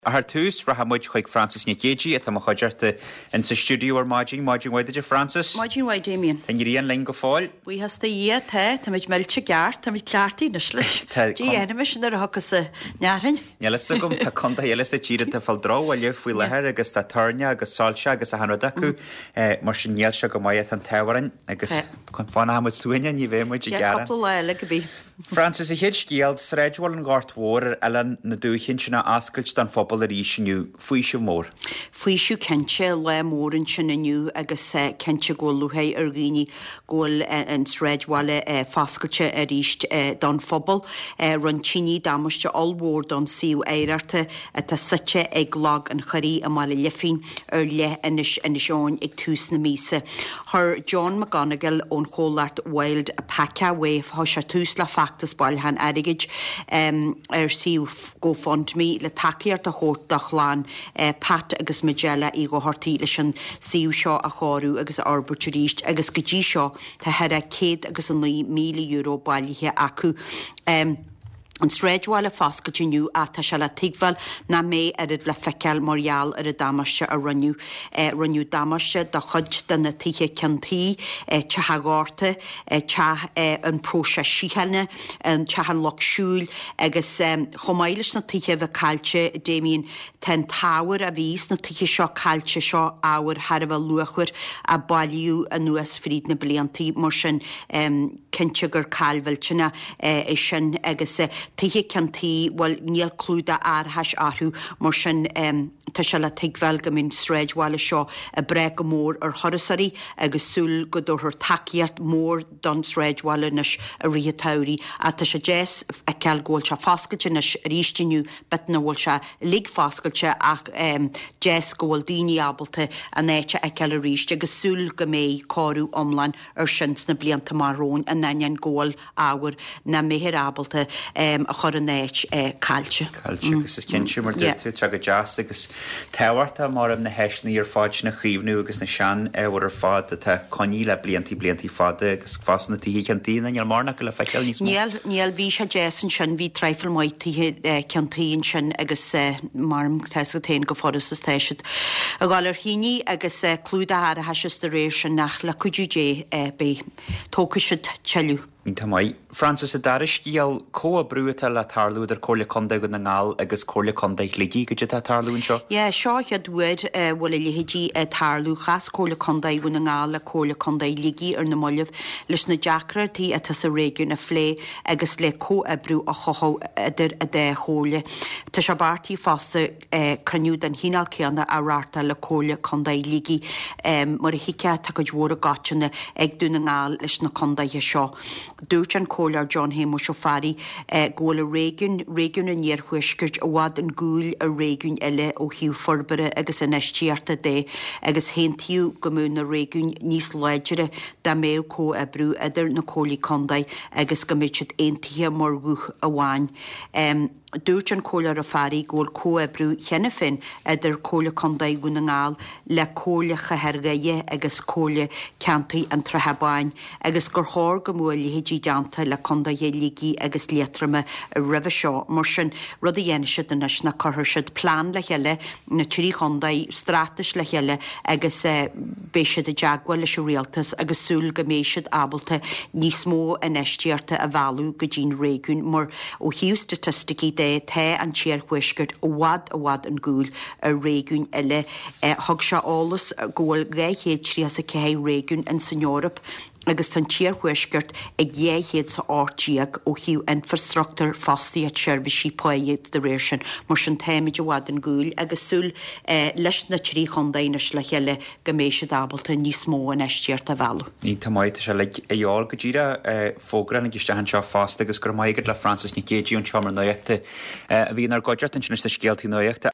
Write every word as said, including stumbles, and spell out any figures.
Ach ar tús, rachaidh muid chuig Frances Nic Géadaigh atá i mo chuideachta in sa stiúideo ar maidin. Maidin mhaith duit a Frances. Maidin mhaith Damien. Tá an ghrian linn go fóill. Buíochas do Dhia, tá, táimid millte ceart, táimid cleachtaithe anois leis. Tá Dé dhéanaimis nuair a thiocfas an fhearthainn. Níl fhios agam, tá contae eile sa tír atá ag fáil drochbhuille faoi láthair agus tá toirneach agus soilse agus achan rud acu. Mar sin níl sé go maith, tá an t-ádh orainn agus fanfaidh muid suaimhneach, ní bheidh muid ag gearán. Cúpla lá eile go bí. Frances, an chéad scéal, Sráidbhaile an Ghoirt Mhóir ar Oileán na Dúiche ansin á oscailt don phobal arís inniu. Faoiseamh mór. Faoiseamh cinnte, lá mór ansin inniu agus cinnte go bhfuil lúcháir ar dhaoine go bhfuil an sráidbhaile foscailte arís don phobal. Rinne tine damáiste ollmhór don suíomh oidhreachta atá suite ag Log an Choirí i mBaile Lifín ar leith Inis Inis Eoghain ag tús na míosa. Chuir John McGonigal ón chomhlacht Wild Alpaca Way, chuir sé tús le feachtas bailiúcháin airgid ar suíomh GoFundMe le tacaíocht a thabhairt do chlann Pat agus Majella Uí Dhochartaigh leis an suíomh seo a chóiriú agus a fhorbairt arís agus go dtí seo tá thar a céad agus a naoi míle euro bailithe acu. An sráidbhaile foscailte inniu ach tá sé le tuigbheáil nach mbeidh oiread le feiceáil mar gheall ar an damáiste a rinneadh. Rinneadh damáiste do chuid de na tithe ceann tuí, Teach a' Ghorta, Teach an Phróiseas Síochána, an Teach an Lucht Siúil agus chomh maith leis na tithe a bheith caillte, Damien, tá an t-ábhar a bhí sna tithe seo caillte, seo ábhar thar a bheith luachmhar a bailíodh anuas fríd na bliantaí mar sin cinnte gur caill mhillteanach é sin agus tithe ceann tuí, bhuel níl clúdach árachais orthu mar sin tá sé le tuigbheáil go mbeidh an sráidbhaile seo ag brath go mór ar thurasóirí agus súil go dtabharfar tacaíocht mhór don sráidbhaile anois i rith an tsamhraidh. Ach tá sé deas feiceáil go bhfuil sé foscailte anois arís inniu, b'fhéidir nach bhfuil sé uilig foscailte ach deas go bhfuil daoine ábalta an áit a fheiceáil arís agus súil go mbeidh cóiriú iomlán air sin sna blianta amach romhainn in ainneoin go bhfuil ábhar nach mbeifear ábalta a chur ina áit caillte. Caillte agus is cinnte mar dúirt tú, tá go deas agus tábhachtach mar na háiseanna ar fad sin a chaomhnú agus na sean-ábhair ar fad atá coinnithe le bliantaí bliantaí fada agus fosta na tithe ceann tuí níl mórán acu le feiceáil níos mó. Níl, níl, bhí sé deas ansin, bhí traidhfil mhaith tithe ceann tuí ansin agus mar tá 'fhios agat féin chomh furast is tá siad a dhul ar thine agus clúdach árachais is dá réir sin ach le cuidiú Dé beidh, tógfaidh siad tuilleadh. Iontach maith. Frances, an dara scéal, comhoibriú atá le tarlú idir Comhairle Contae Dhún na nGall agus Comhairle Contae Shligigh, goidé atá ag tarlú anseo? Yeah, seo an chéad uair a bhfuil a leithéidí ag tarlú. Chas Comhairle Contae Dhún na nGall le Comhairle Contae Shligigh ar na mallaibh leis na deacrachtaí atá sa réigiún a phlé agus le comhoibriú a chothú idir an dá chomhairle. Tá sé beartaithe fosta cruinniú den chineál céanna a reáchtáil le Comhairle Contae Shligigh. Mar a thuigfeá, tá cuid mhór i gcoitinne ag Dún na nGall leis na contaetha seo. Dúirt an Comhairleoir John Shéamuis Ó Fearraigh go bhfuil a réigiún, réigiún an Iarthuaiscirt, i bhfad 'un gcúil ar réigiúin eile ó thaobh forbartha agus infheistíochta de agus aontaíodh go mbeadh na réigiúin níos láidre dá mbeadh comhoibriú idir na comhairlí contae agus go mbeadh siad aontaithe mar ghuth amháin. Dúirt an Comhairleoir Ó Fearraigh go bhfuil comhoibriú cheana féin idir Comhairle Contae Dhún na nGall le Comhairle Chathair Dhoire agus Comhairle Ceantair an tSratha Báin agus gur chóir go mbeadh a leithéidí déanta le contaetha Shligigh agus Liatroma roimhe seo. Mar sin, rud a dhéanfaidh siad anois ná cuirfidh siad plean le chéile, na trí chontae, straitéis le chéile agus beidh siad i dteagmháil leis an rialtas agus súil go mbeidh siad ábalta níos mó infheistíochta a mhealladh go dtí'n réigiún mar Ó thaobh staitisticí de, tá an tIarthuaisceart i bhfad i bhfad 'un gcúil ar réigiúin eile. Thug sé eolas go bhfuil dhá chéad tríocha 's a ceathair réigiún in san Eoraip agus tá an tIarthuaisceart ag dhá chéad 's a ocht déag ó thaobh infreastruchtúr, fostaíocht, seirbhísí, páighe dá réir sin. Mar sin táimid i bhfad 'un gcúil agus súil leis na trí chontae anois le chéile go mbeidh siad ábalta níos mó infheistíochta a mhealladh. Iontach maith, tá sé uilig a dhíobháil go díreach. Fógra a tháinig isteach anseo fosta agus go raibh maith agat le Frances Nic Géadaigh ón tSeomra Nuachta a bhí inár gcuideachta ansin leis na scéaltaí nuachta.